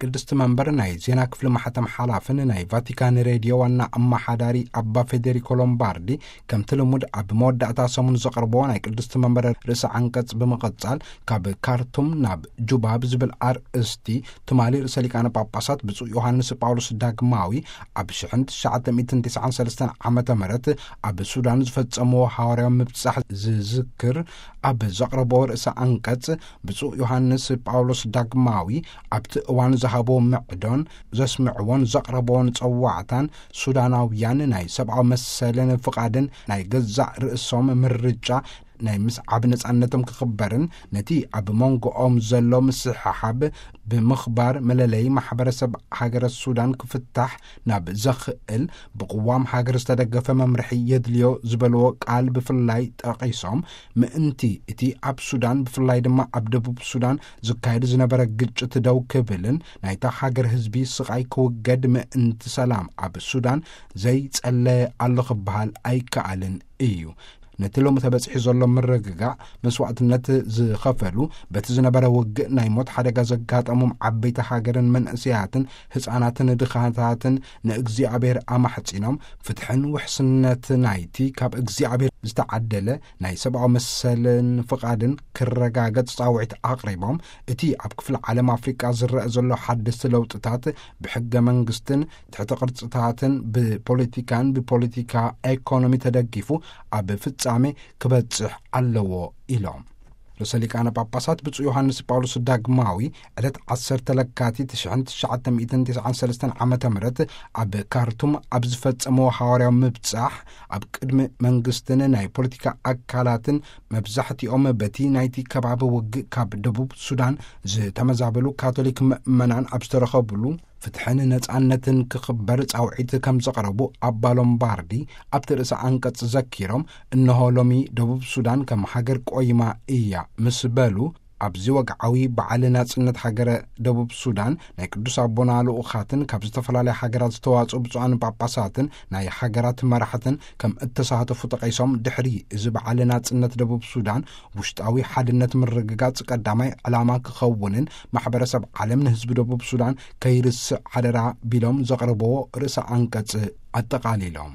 ቅድስቲ መንበር ናይ ዜና ክፍሊ ማሕተም ሓላፍን ናይ ቫቲካን ሬድዮ ዋና ኣመሓዳሪ ኣባ ፌዴሪኮ ሎምባርዲ፣ ከምቲ ልሙድ ኣብ መወዳእታ ሰሙን ዘቕርቦ ናይ ቅድስቲ መንበር ርእሰ ዓንቀጽ ብምቕጻል፣ ካብ ካርቱም ናብ ጁባ ብዝብል ኣርእስቲ፣ ትማሊ ርእሰ ሊቃነ ጳጳሳት ብፁዕ ዮሃንስ ጳውሎስ ዳግማዊ ኣብ ሽሕን ትሽዓተ ሚእትን ትስዓን ሰለስተን ዓመተ ምህረት ኣብ ሱዳን ዝፈጸምዎ ሃዋርያዊ ምብጻሕ ዝዝክር ኣብ ዘቕረቦ ርእሰ ዓንቀጽ፣ ብፁዕ ዮሃንስ ጳውሎስ ዳግማዊ ኣብቲ እዋን ዝሃቦ ምዕዶን ዘስምዕዎን ዘቕረቦን ጸዋዕታን፣ ሱዳናውያን ናይ ሰብኣዊ መሰልን ፍቓድን ናይ ገዛእ ርእሶም ምርጫ ናይ ምስዓብ ነጻነቶም ክኽበርን፣ ነቲ ኣብ መንጎኦም ዘሎ ምስሕሓብ ብምኽባር፣ መለለዪ ማሕበረሰብ ሃገረ ሱዳን ክፍታሕ ናብ ዘኽእል ብቅዋም ሃገር ዝተደገፈ መምርሒ የድልዮ ዝበልዎ ቃል ብፍላይ ጠቒሶም፣ ምእንቲ እቲ ኣብ ሱዳን፣ ብፍላይ ድማ ኣብ ደቡብ ሱዳን ዝካየድ ዝነበረ ግጭት ደው ክብልን ናይታ ሃገር ህዝቢ ስቓይ ክውገድ ምእንቲ ሰላም ኣብ ሱዳን ዘይጸለየ ኣሎ ክበሃል ኣይከኣልን እዩ። ነቲ ሎሚ ተበጺሑ ዘሎ ምርግጋእ መስዋእትነት ዝኸፈሉ፣ በቲ ዝነበረ ውግእ ናይ ሞት ሓደጋ ዘጋጠሞም ዓበይቲ ሃገርን መንእሰያትን ህጻናትን ድኻታትን ንእግዚኣብሔር ኣማሕጺኖም፣ ፍትሕን ውሕስነት ናይቲ ካብ እግዚኣብሔር ዝተዓደለ ናይ ሰብኣዊ መሰልን ፍቓድን ክረጋገጽ ጻውዒት ኣቕሪቦም፣ እቲ ኣብ ክፍሊ ዓለም ኣፍሪቃ ዝረአ ዘሎ ሓደስቲ ለውጥታት ብሕገ መንግስትን ትሕተ ቅርጽታትን ብፖለቲካን ብፖለቲካ ኢኮኖሚ ተደጊፉ ኣብ ፍጻሜ ክበጽሕ ኣለዎ ኢሎም። ርእሰ ሊቃነ ጳጳሳት ብፁዕ ዮሃንስ ጳውሎስ ዳግማዊ ዕለት ዓሰርተ ለካቲት ሽሕን ትሽዓተ ሚእትን ትስዓን ሰለስተን ዓመተ ምህረት ኣብ ካርቱም ኣብ ዝፈጸመዎ ሃዋርያዊ ምብጻሕ፣ ኣብ ቅድሚ መንግስትን ናይ ፖለቲካ ኣካላትን፣ መብዛሕትኦም በቲ ናይቲ ከባቢ ውግእ ካብ ደቡብ ሱዳን ዝተመዛበሉ ካቶሊክ ምእመናን ኣብ ዝተረኸብሉ፣ ፍትሕን ነጻነትን ክኽበር ጻውዒት ከም ዘቕረቡ ኣባ ሎምባርዲ ኣብቲ ርእሰ ኣንቀጽ ዘኪሮም፣ እንሆ ሎሚ ደቡብ ሱዳን ከም ሃገር ቆይማ እያ ምስ በሉ፣ ኣብዚ ወግዓዊ በዓል ናጽነት ሃገረ ደቡብ ሱዳን ናይ ቅዱስ ኣቦና ልኡኻትን ካብ ዝተፈላለያ ሃገራት ዝተዋጽኡ ብፁዓን ጳጳሳትን ናይ ሃገራት መራሕትን ከም እተሳተፉ ጠቒሶም፣ ድሕሪ እዚ በዓል ናጽነት ደቡብ ሱዳን ውሽጣዊ ሓድነት ምርግጋጽ ቀዳማይ ዕላማ ክኸውንን ማሕበረሰብ ዓለም ንህዝቢ ደቡብ ሱዳን ከይርስዕ ሓደራ ቢሎም ዘቕረብዎ ርእሰ ኣንቀጽ ኣጠቓሊሎም።